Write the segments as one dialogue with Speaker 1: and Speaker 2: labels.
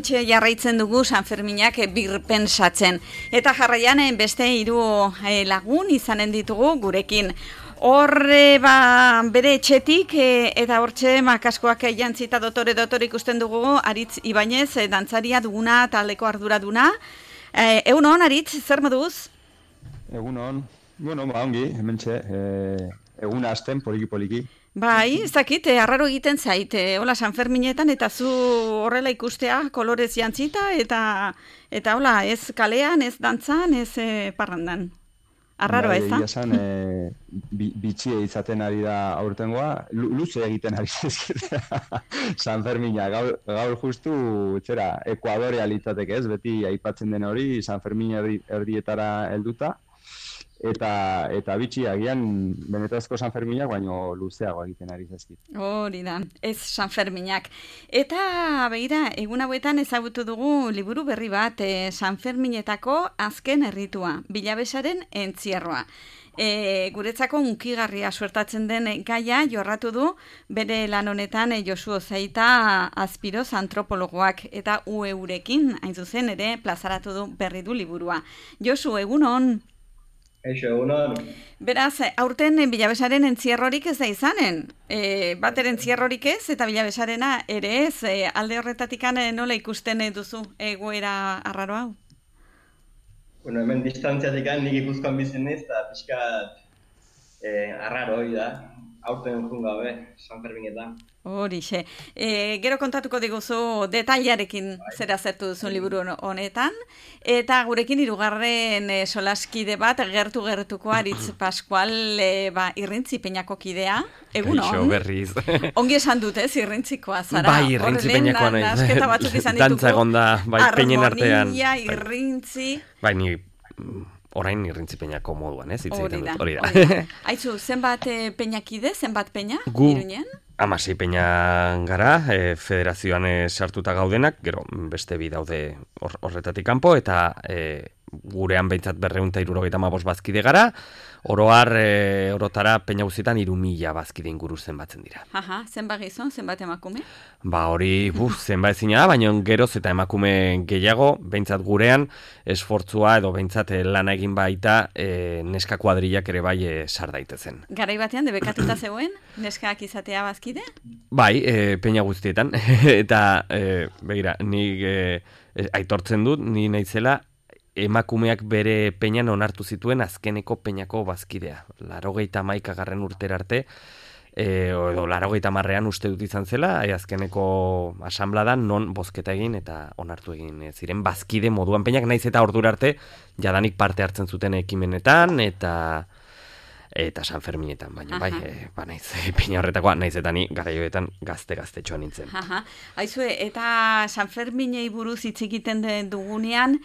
Speaker 1: hementxe jarraitzen dugu San Ferminak birpensatzen. Eta jarraian beste 3 lagun izanen ditugu gurekin. Horre bere etxetik eta hortxe kaskoak jantzita dotore ikusten dugu Aritz Ibañez, dantzaria duguna taldeko arduraduna. Egunon, Aritz, zer moduz?
Speaker 2: Egunon, bueno, ongi, hementxe, eguna hasten poliki.
Speaker 1: Bai, ez dakit, arraro egiten zait, hola San Ferminetan eta zu horrela ikustea kolorez jantzita eta hola, ez kalean, ez dantzan, ez parrandan. Arraroa ez da?
Speaker 2: Egia esan, bitxie izaten ari da aurtengoa, luze egiten ari zezkitea San Fermina, gaur justu, Ekuadorea litzateke ez, beti aipatzen den hori, San Fermina erdietara helduta, eta bitxi agian benetazko San Ferminak baino luzeago egiten ari zaizkit.
Speaker 1: Hori da, ez San Ferminak. Eta begira, egun hauetan ezagutu dugu liburu berri bat, San Ferminetako azken erritua, Bilabesaren entzierroa. Guretzako unkigarria suertatzen den gaia jorratu du bere lan honetan Josu Ozaita Azpiroz antropologoak eta UEurekin hain zuzen ere plazaratu du berri du liburua. Josu, egunon?
Speaker 3: Eixo, egunon.
Speaker 1: Beraz, aurten Bilabesaren entzierrorik ez da izanen. Bater entzierrorik ez eta Bilabesarena ere ez. Alde horretatikan nola ikusten duzu egoera arraro hau?
Speaker 3: Bueno, hemen distantziatik nik ikuskoan bizen ez, eta pixkat arraro hori da. Aurten jun gabe, San Ferminetan.
Speaker 1: Horixe. Gero kontatuko diguzu detailarekin zera zertu duzun liburu honetan. Eta gurekin 3. Solaskide bat, gertuko Aritz Pascual Irrintzi Peñako kidea. Egunon.
Speaker 4: Kaixo berriz.
Speaker 1: Ongi esan dut ez, Irrintzikoa zara.
Speaker 4: Bai, Irrintzi Peñakoa nahi. Dantza egonda, bai, peñen artean.
Speaker 1: Harmonia, Irrintzi.
Speaker 4: Bai, ni orain Irrintzi Peñako moduan, ez?
Speaker 1: Hori da. Aizu, zenbat peñakide, zenbat peña?
Speaker 4: Gu
Speaker 1: Iruñean?
Speaker 4: 16 peña gara, federazioan sartuta gaudenak, gero beste bi daude horretatik kanpo, eta gurean behintzat 275 bazkide gara, orotara peña guztietan 3000 bazkide inguru zenbatzen dira.
Speaker 1: Aha, zenbat gizon, zenbat emakume?
Speaker 4: Hori, zenbat ezina da, baina geroz eta emakume gehiago, behintzat gurean, esfortzua edo behintzat lana egin baita neska kuadrillak ere bai sar daitezen.
Speaker 1: Garai batean debekatuta zegoen, neskak izatea bazkide?
Speaker 4: Bai, peña guztietan, eta begira, nik aitortzen dut, ni naizela, emakumeak bere peñan onartu zituen azkeneko peñako bazkidea. 81. urtera arte, edo 80. uste dut izan zela, azkeneko asanbladan non bozketa egin eta onartu egin ziren bazkide moduan peñak, naiz eta ordura arte jadanik parte hartzen zuten ekimenetan eta San Ferminetan, baina bai, naiz peña horretakoa, naiz eta ni garaioetan gazte-txoa nintzen.
Speaker 1: Aizue, eta San Ferminei buruz hitz egiten dugunean,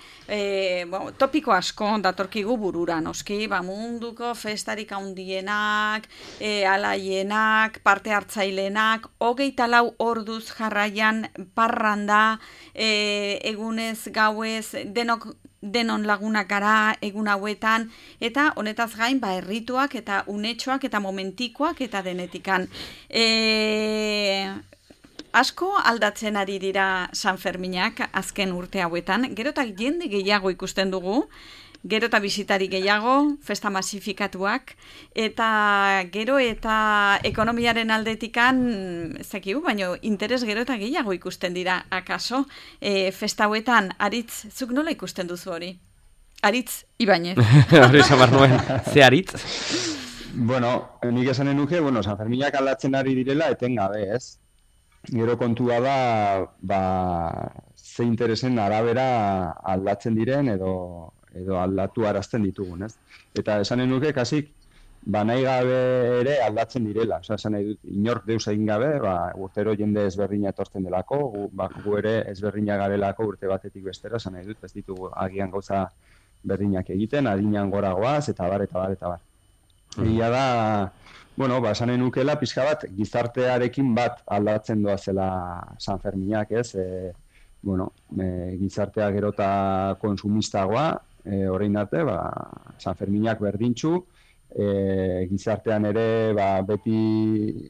Speaker 1: topiko asko datorkigu burura, noski, munduko festarik handienak, alaienak, parte hartzailenak, 24 orduz jarraian parranda, egunez, gauez, denon lagunak gara egun hauetan, eta honetaz gain errituak eta unetxoak eta momentikoak eta denetikan. Asko aldatzen ari dira San Ferminak azken urte hauetan, gero eta jende gehiago ikusten dugu, gero eta bisitari gehiago, festa masifikatuak, eta gero eta ekonomiaren aldetikan, zekigu, baina interes gero eta gehiago ikusten dira, akaso, festa hauetan, Aritz, zuk nola ikusten duzu hori? Aritz Ibañez.
Speaker 4: Hori samar nuen, ze Aritz?
Speaker 2: Bueno, nik esanen nuke, San Ferminak aldatzen ari direla, etengabe, ez? Gero kontua da, ze interesen arabera aldatzen diren edo aldatu arazten ditugun, ez? Eta esanen nuke, kasik, nahi gabe ere aldatzen direla. Esan nahi dut, inork deus egin gabe, urtero jende ezberdina etortzen delako, gu ere ezberdina garelako urte batetik bestera, esan nahi dut, ez ditugu agian gauza berdinak egiten, adinean goragoaz, eta bar. Egia da, esan nahi nukela, pixka bat, gizartearekin bat aldatzen doazela San Ferminak, ez? Gizartea gero eta konsumistagoa, orain arte, San Ferminak berdintxu, gizartean ere beti,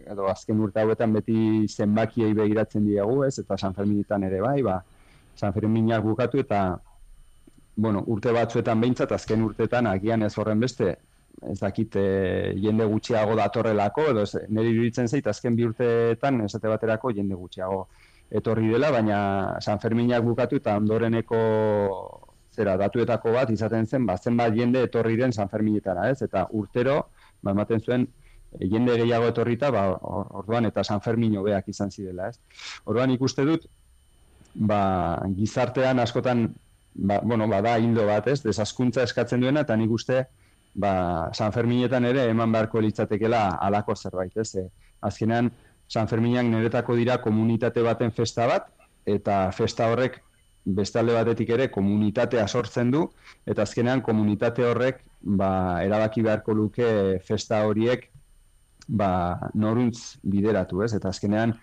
Speaker 2: edo azken urte hauetan beti zenbakiei begiratzen diegu, ez? Eta San Ferminetan ere bai, San Ferminak bukatu eta bueno, urte batzuetan behintzat, azken urteetan agian ez horren beste, ez dakit jende gutxiago datorrelako, edo niri iruditzen zait, azken 2 urteetan esate baterako jende gutxiago etorri dela, baina San Ferminak bukatu eta ondoreneko datuetako bat izaten zen, zenbat jende etorri den San Ferminetara, ez? Eta urtero, ematen zuen, jende gehiago etorrita, orduan eta San Fermin hobeak izan zirela, ez? Orduan ikuste dut, gizartean askotan, bada hildo bat, ez? Desazkuntza eskatzen duena, eta nik uste, San Ferminetan ere eman beharko litzatekela halako zerbait, ez? Azkenean, San Ferminak niretako dira komunitate baten festa bat, eta festa horrek beste alde batetik ere komunitatea sortzen du, eta azkenean komunitate horrek erabaki beharko luke festa horiek noruntz bideratu, ez? Eta azkenean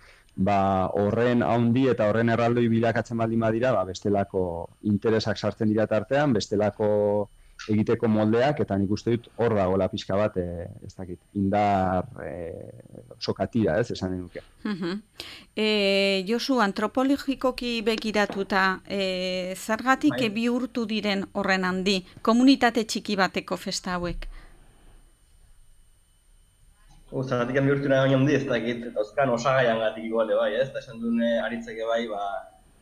Speaker 2: horren haundi eta horren erraldoi bilakatzen baldin badira, bestelako interesak sartzen dira tartean, bestelako egiteko moldeak, eta nik uste dut hor dagoela pixka bat, ez dakit, indar sokatira, ez, esan nuke.
Speaker 1: Josu, antropologikoki begiratuta, zergatik bihurtu diren horren handi, komunitate txiki bateko festa hauek?
Speaker 3: Zergatik bihurtu nahi handi, ez dakit, eta oskan osagaian gatik igualde bai, ez? Eta esan dune aritzeke bai,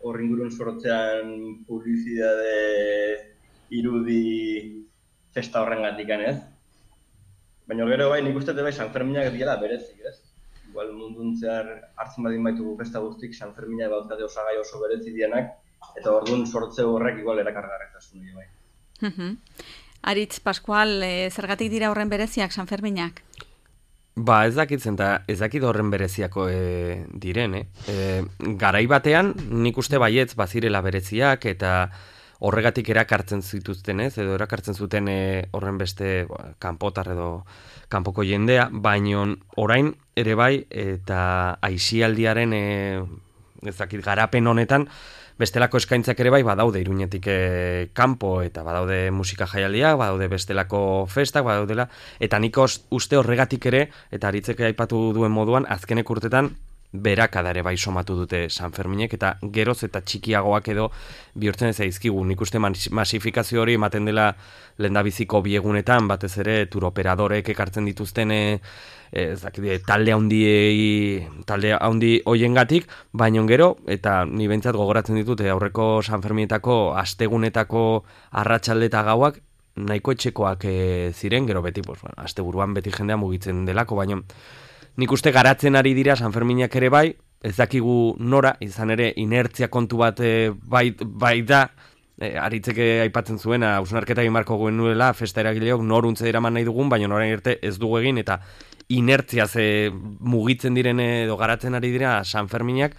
Speaker 3: horri ingurun sortzean publizidade irudi festa horren gatikan, ez? Baina gero bai, nik uste bai San Ferminak diela berezik, ez? Igual mundun zehar hartzen badin baitugu festa guztik, San Ferminak bauzkate osagai oso berezi dienak, eta orduan sortze horrek igual erakargarretasun hori bai.
Speaker 1: Aritz, Pascual, zergatik dira horren bereziak San Ferminak?
Speaker 4: Ez dakitzen, eta ez dakit horren bereziako diren, garai batean, nik uste baietz bazirela bereziak, eta horregatik erakartzen zituzten, edo erakartzen zuten horren beste kanpotar edo kanpoko jendea, baino orain ere bai, eta aisialdiaren garapen honetan, bestelako eskaintzak ere bai badaude Iruñetik kanpo, eta badaude musika jaialdiak, badaude bestelako festak, badaudela, eta nik uste horregatik ere, eta Aritzeke aipatu duen moduan, azkenek urtetan, berakada ere bai somatu dute San Ferminek, eta geroz eta txikiagoak edo bihurtzen ez zaizkigu. Nik uste masifikazio hori ematen dela lehendabiziko biegunetan, batez ere turoperadorek ekartzen dituzten talde handi hoiengatik, baino gero, eta ni behintzat gogoratzen ditut, aurreko San Ferminetako astegunetako arratsalde eta gauak nahiko etxekoak ziren, gero beti, asteburuan beti jendea mugitzen delako, baino nik uste garatzen ari dira San Ferminak ere bai, ez dakigu nora, izan ere inertzia kontu bat bai da, Aritzeke aipatzen zuena, hausnarketa egin marko genuela, festa eragileok noruntze eraman nahi dugun, baina norain arte ez dugu egin, eta inertzia mugitzen diren edo garatzen ari dira San Ferminak,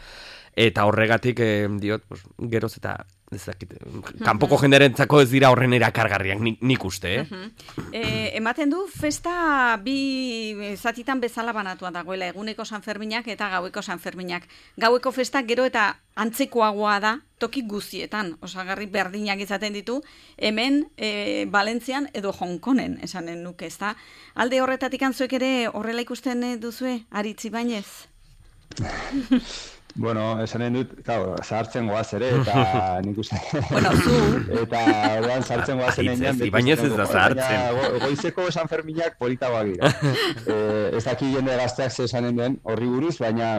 Speaker 4: eta horregatik diot, geroz eta kanpoko jenderentzako ez dira horren erakargarriak, nik uste,
Speaker 1: Ematen du, festa bi zatitan bezala banatua dagoela, eguneko San Ferminak eta gaueko San Ferminak. Gaueko festa gero eta antzekoagoa da, toki guztietan, osagarri berdinak izaten ditu, hemen Valentzian edo Hongkonen, esanen nuke, ez da? Alde horretatik antzuek ere horrela ikusten duzue, Aritz Ibañez?
Speaker 2: Bueno, esanen dut, zahartzen goaz ere, eta nik uste...
Speaker 1: zu...
Speaker 2: Eta orduan zahartzen goaz enean...
Speaker 4: Ibañez ez da zahartzen.
Speaker 2: Goizeko San Ferminak politagoak dira. Ez daki jende gazteak esanen den horri buruz, baina...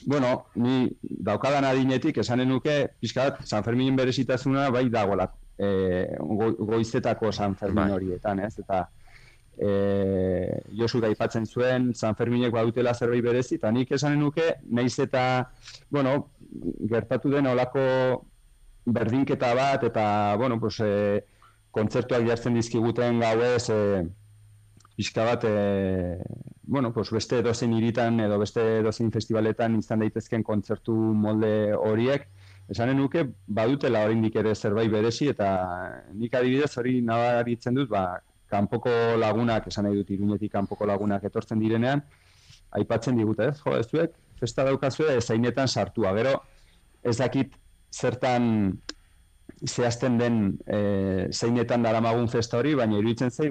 Speaker 2: Bueno, ni daukadan adinetik esanen nuke, pixkat, San Ferminen berezitasuna bai dagoela goizetako San Fermin horietan, ez? Eta... Josu da aipatzen zuen San Ferminek badutela zerbait berezi, eta nik esanen nuke, nahiz eta gertatu den olako berdinketa bat, eta kontzertuak jartzen dizkiguten gauez pixka bat beste edozein hiritan edo beste edozein festivaletan izan daitezken kontzertu molde horiek, esanen nuke badutela oraindik ere zerbait berezi, eta nik adibidez hori nabaritzen dut, kanpoko lagunak, esan nahi dut Iruñetik kanpoko lagunak etortzen direnean, aipatzen digute, ez zuek, festa daukazue zainetan sartua. Gero, ez dakit zertan zehazten den zeinetan daramagun festa hori, baina iruditzen zei,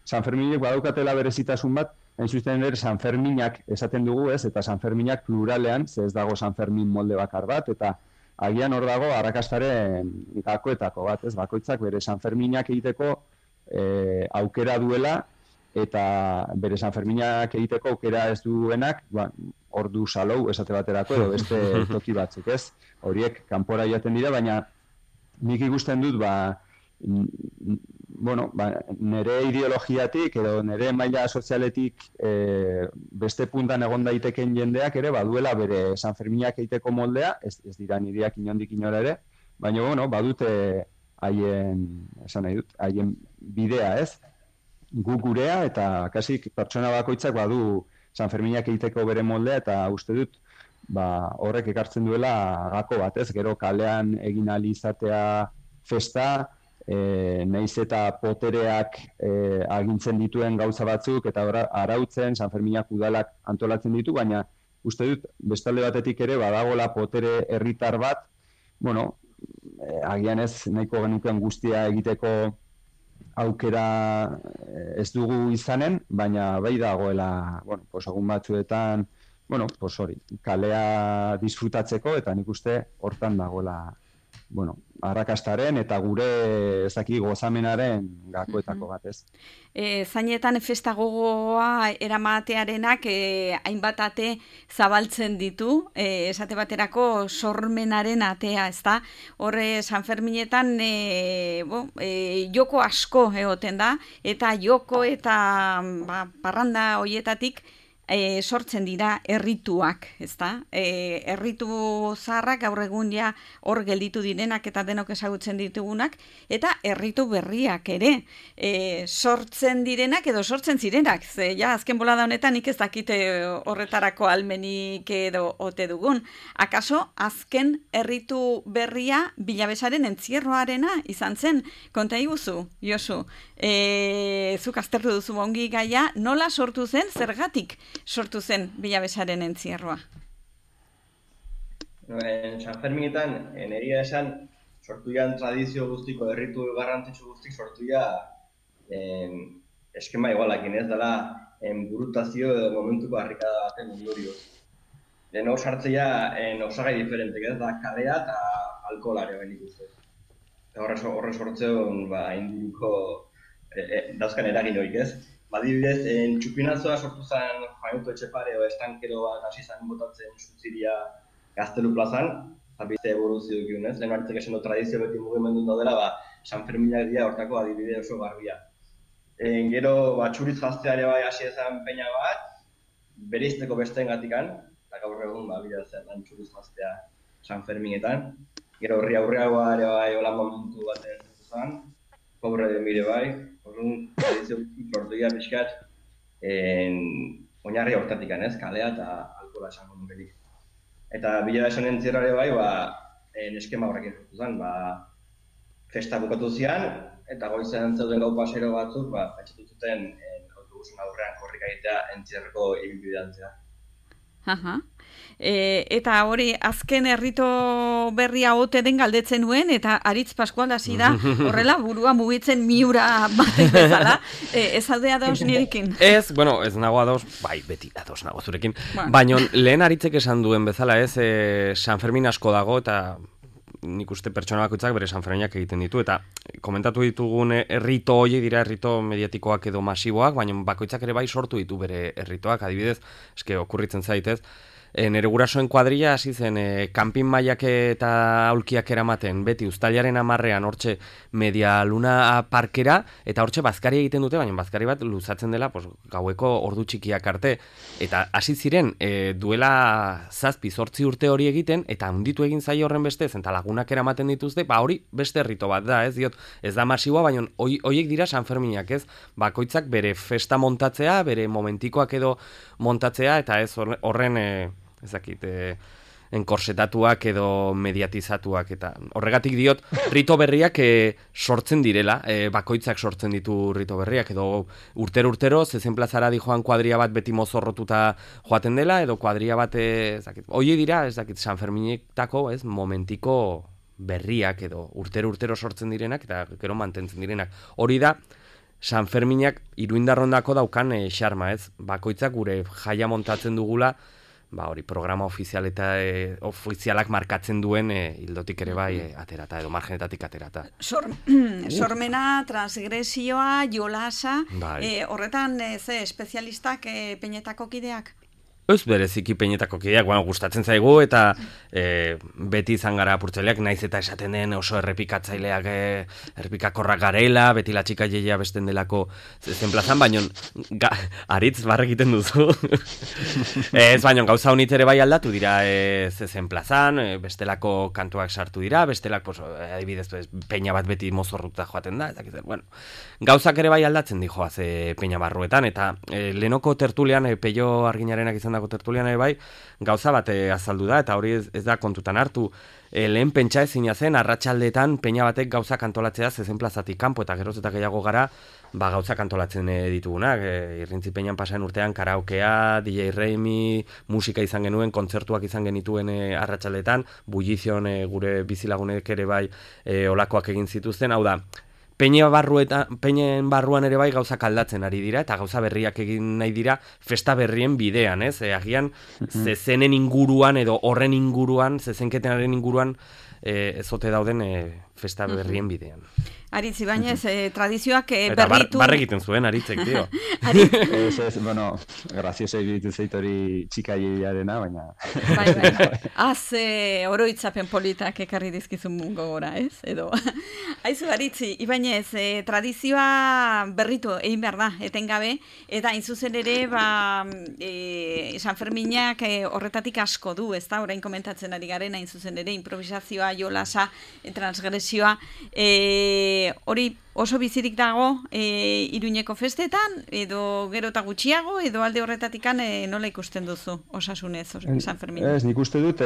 Speaker 2: San Ferminek badaukatela berezitasun bat, hain zuzen ere San Ferminak esaten dugu, ez, eta San Ferminak pluralean, ez dago San Fermin molde bakar bat, eta agian hor dago arrakastaren gakoetako bat, ez? Bakoitzak bere Sanferminak egiteko aukera duela, eta bere Sanferminak egiteko aukera ez duenak, hor du salou esate baterako edo beste toki batzuk, ez? Horiek kanpora joaten dira, baina nik ikusten dut, nire ideologiatik edo nire maila sozialetik beste puntan egon daiteken jendeak ere baduela bere Sanferminak egiteko moldea, ez dira nireak inondik inora ere, baina badute haien bidea, ez? Gu gurea eta kasik pertsona bakoitzak badu Sanferminak egiteko bere moldea, eta uste dut horrek ekartzen duela gako bat, ez? Gero kalean egin ahal izatea festa, nahiz eta potereak agintzen dituen gauza batzuk eta arautzen Sanferminak udalak antolatzen ditu, baina uste dut bestalde batetik ere badagola potere herritar bat, agian ez nahiko genukeen guztia egiteko aukera ez dugu izanen, baina bai dagoela, egun batzuetan, kalea disfrutatzeko, eta nik uste hortan dagoela, arrakastaren eta gure gozamenaren gakoetako bat, ez.
Speaker 1: Zainetan festa gogoa eramatearenak hainbat ate zabaltzen ditu, esate baterako sormenaren atea, ezta? Horre Sanferminetan joko asko egoten da, eta joko eta parranda hoietatik sortzen dira errituak, ezta? Erritu zaharrak gaur egun ja hor gelditu direnak eta denok ezagutzen ditugunak, eta erritu berriak ere sortzen direnak edo sortzen zirenak. Ze ja azken bolada honetan nik ez dakite horretarako almenik edo ote dugun. Akaso azken erritu berria Bilabesaren entzierroarena izan zen? Konta iguzu, Josu. Zuk aztertu duzu ongi gaia, nola sortu zen, zergatik sortu zen Bilabesaren entzierroa?
Speaker 3: Sanferminetan, egia esan, sortu jan tradizio guztiko, erritu garrantzitsu guztik sortu ja eskema igualakin, ez dela burutazio edo momentuko harrikada baten ondorioz. Lehen sartzea osagai diferentek, ez da kalea eta alkoholarea benik uste. Horre sortzeon induruko dauzkan eragin horik, ez? Badibidez, txupinazoa sortu zen Juanuto Etxepare o estankero bat hasi zen botatzen Sutziria Gaztelu plazan, eta beste evoluzio dukiun, ez? Lehen hartzek esan tradizio beti mugimendu daudela, Sanferminak dira hortako adibide oso garbia. Gero, txuriz jazteare bai hasi ezan peina bat, bereizteko besteen gatikan, eta gaur egun bila zen txuriz jaztea Sanferminetan. Gero horri aurreagoa ere bai hola momentu baten zen, pobre de mire bai, orduan tradizio sortu dira pixkat oinarri hortatik, ez? Kalea eta alkohola esango nukerik. Eta Bilabesen entzierroare bai, eskema horrekin sortu zen, festa bukatu zian, eta goizean zeuden gau pasero batzuk, pentsatu zuten autobusen aurrean korrika egitea entzierroko ibilbidean zea.
Speaker 1: Eta hori azken errito berria ote den galdetzen nuen, eta Aritz Pascual hasi da horrela burua mugitzen miura batek bezala. Ez alde ados nirekin?
Speaker 4: Ez nago ados, beti ados nago zurekin. Baina lehen Aritzek esan duen bezala, ez, Sanfermin asko dago, eta nik uste pertsona bakoitzak bere Sanferminak egiten ditu, eta komentatu ditugun errito hori dira errito mediatikoak edo masiboak, baina bakoitzak ere bai sortu ditu bere erritoak, adibidez, okurritzen zaitez, nere gurasoen kuadrilla hasi zen kanpin mailak eta aulkiak eramaten beti uztailaren 10ean hortxe Media Luna parkera, eta hortxe bazkari egiten dute, baina bazkari bat luzatzen dela gaueko ordu txikiak arte, eta hasi ziren duela 7-8 urte hori egiten, eta handitu egin zaio horren bestez, eta lagunak eramaten dituzte, hori beste errito bat da, ez diot, ez da masiboa, baina horiek dira Sanferminak, ez, bakoitzak bere festa montatzea, bere momentikoak edo montatzea, eta ez horren enkorsetatuak edo mediatizatuak, eta horregatik diot rito berriak sortzen direla, bakoitzak sortzen ditu rito berriak, edo urtero zezen plazara di joan kuadria bat beti mozorrotuta joaten dela, edo kuadria bat hoi dira, Sanferminetako momentiko berriak, edo urtero sortzen direnak, eta gero mantentzen direnak. Hori da Sanferminak Iruindarrondako daukan xarma, ez? Bakoitzak gure jaia montatzen dugula, hori programa ofizial eta ofizialak markatzen duen hildotik ere bai aterata edo margenetatik aterata.
Speaker 1: Sormena, transgresioa, jolasa, horretan ze espezialistak peinetako kideak?
Speaker 4: Ez bereziki peinetako kideak, gustatzen zaigu eta beti izan gara apurtzaileak, naiz eta esaten den oso errepikatzaileak errepikakorrak garela, beti la txika jeia besten delako zenplazan, baino aritz barre egiten duzu. Ez baino gauza honitz ere bai aldatu dira zenplazan, bestelako kantuak sartu dira, bestelak, adibidez, peina bat beti mozorruta joaten da, bueno, gauzak ere bai aldatzen dijoaz peina barruetan, eta lehenoko tertulian, Peio Arginarenak izan dako tertulian bai, gauza bat azaldu da, eta hori ez da kontutan hartu. Lehen pentsa ezina zen, arratsaldeetan peina batek gauzak antolatzea zezen plazatik kanpo, eta geroz eta gehiago gara, gauzak antolatzen ditugunak. Irrintzi peinan pasaren urtean karaokea, DJ Reimi, musika izan genuen, kontzertuak izan genituen arratsaldeetan, Bullizion gure bizilagunek ere bai olakoak egin zituzten, hau da, peinen barruan ere bai gauzak aldatzen ari dira, eta gauza berriak egin nahi dira festa berrien bidean, ez? Agian zezenen inguruan edo horren inguruan, zezenketenaren inguruan ezote dauden festa berrien bidean.
Speaker 1: Aritz Ibañez, tradizioak berritu...
Speaker 4: Eta barre egiten zuen, Aritzek, dio.
Speaker 2: Bueno, grazioso egitu zeit hori txikailearena, baina...
Speaker 1: Bai. Oroitzapen politak ekarri dizkizun gogora, ez? Edo... Aizu, Aritz Ibañez, tradizioa berritu egin behar da, etengabe, eta intzuzen ere, San Ferminak horretatik asko du, ez da? Orain komentatzen ari garen, hain zuzen ere, improvisazioa, jolasa, transgresioa, hori oso bizirik dago Iruñeko festetan, edo gero eta gutxiago, edo alde horretatikan nola ikusten duzu osasunez San Fermin?
Speaker 2: Ez, nik uste dut,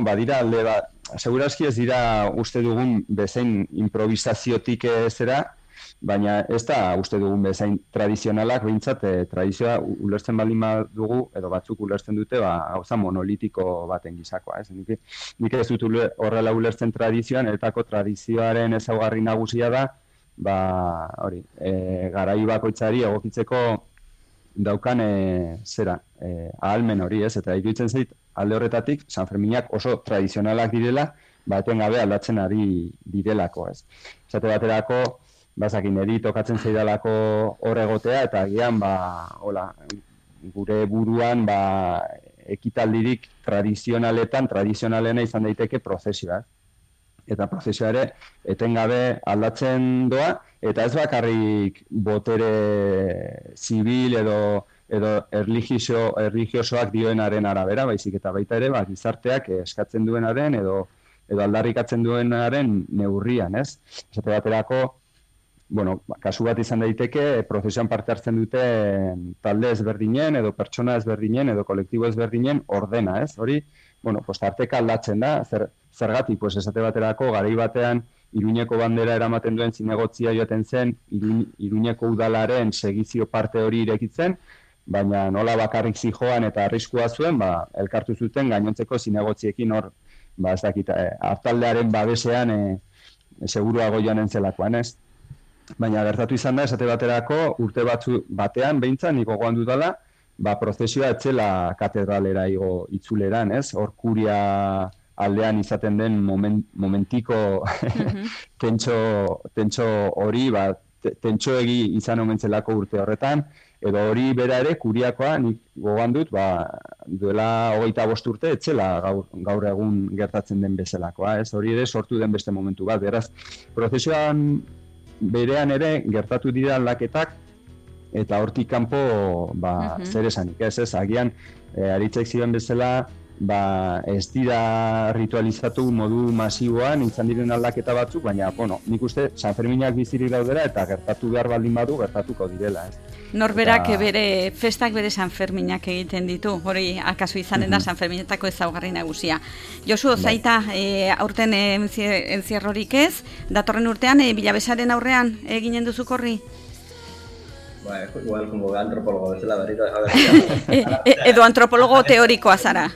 Speaker 2: badira alde bat, segurazki ez dira uste dugun bezain improvisaziotik zera, baina ez da uste dugun bezain tradizionalak, behintzat tradizioa ulertzen baldin dugu, edo batzuk ulertzen dute, gauza monolitiko baten gizakoa. Nik ez dut horrela ulertzen tradizioan, etako tradizioaren ezaugarri nagusia da, garai bakoitzari egokitzeko daukan ahalmen hori, ez? Eta iruditzen zait, alde horretatik, San Ferminak oso tradizionalak direla, etengabe aldatzen ari direlako, ez? Esate baterako, bazakin eri tokatzen zaidalako hor egotea, eta agian, gure buruan, ekitaldirik tradizionalena izan daiteke prozesioa. Eta prozesioa ere, etengabe aldatzen doa, eta ez bakarrik botere zibil edo erligiosoak dioenaren arabera, baizik eta baita ere, gizarteak eskatzen duenaren edo aldarrikatzen duenaren neurrian, ez? Esate baterako, kasu bat izan daiteke, prozesioan parte hartzen dute talde ezberdinen, edo pertsona ezberdinen, edo kolektibo ezberdinen ordena, ez? Hori, tarteka aldatzen da, zergatik, esate baterako, garai batean, Iruñeko bandera eramaten duen zinegotzia joaten zen, Iruñeko udalaren segizio parte hori irekitzen, baina nola bakarrik zijoan eta arriskua zuen, elkartu zuten gainontzeko zinegotziekin hor, ez dakit, hartaldearen babesean seguruago joanen zelakoan, ez? Baina gertatu izan da, esate baterako, urte batean, behintzat, niko gogoan dudala, prozesioa etzela katedralera igo itzuleran, ez? Hor kuria aldean izaten den momentiko tentxo hori, tentxoegi izan omentzelako urte horretan, edo hori bera ere, kuriakoa, nik gogoan dut, duela 25 urte, etzela gaur egun gertatzen den bezalakoa, ez? Hori ere sortu den beste momentu bat, beraz, prozesioan berean ere gertatu dira aldaketak, eta hortik kanpo zer esanik, ez? Agian, Aritzek ziren bezala, ez dira ritualizatu modu masiboan, izan diren aldaketa batzuk, baina, nik uste San Ferminak bizirik daudera, eta gertatu behar baldin badu, gertatuko direla, ez?
Speaker 1: Norberak festak bere San Ferminak egiten ditu, hori akaso izanen da San Ferminetako ezaugarri nagusia. Josu, zaita, aurten entzierrorik ez, datorren urtean, Bilabesaren aurrean eginen duzuk horri?
Speaker 3: Igual, como antropólogo bezala berriro.
Speaker 1: Edo antropólogo teorikoa zara.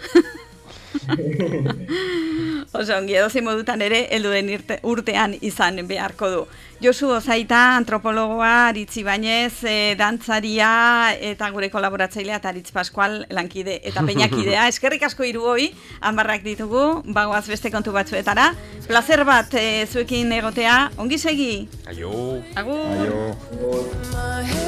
Speaker 1: Oso, ongi edozein modutan ere, helduen urtean izan beharko du. Josu Ozaita, antropologoa, Aritz Ibañez, dantzaria eta gure kolaboratzailea eta Aritz Pascual lankide eta peinakidea. Eskerrik asko hiruoi, hanbarrak ditugu, bagoaz beste kontu batzuetara. Plazer bat zuekin egotea, ongi segi.
Speaker 4: Aio.
Speaker 1: Agur.
Speaker 2: Aio.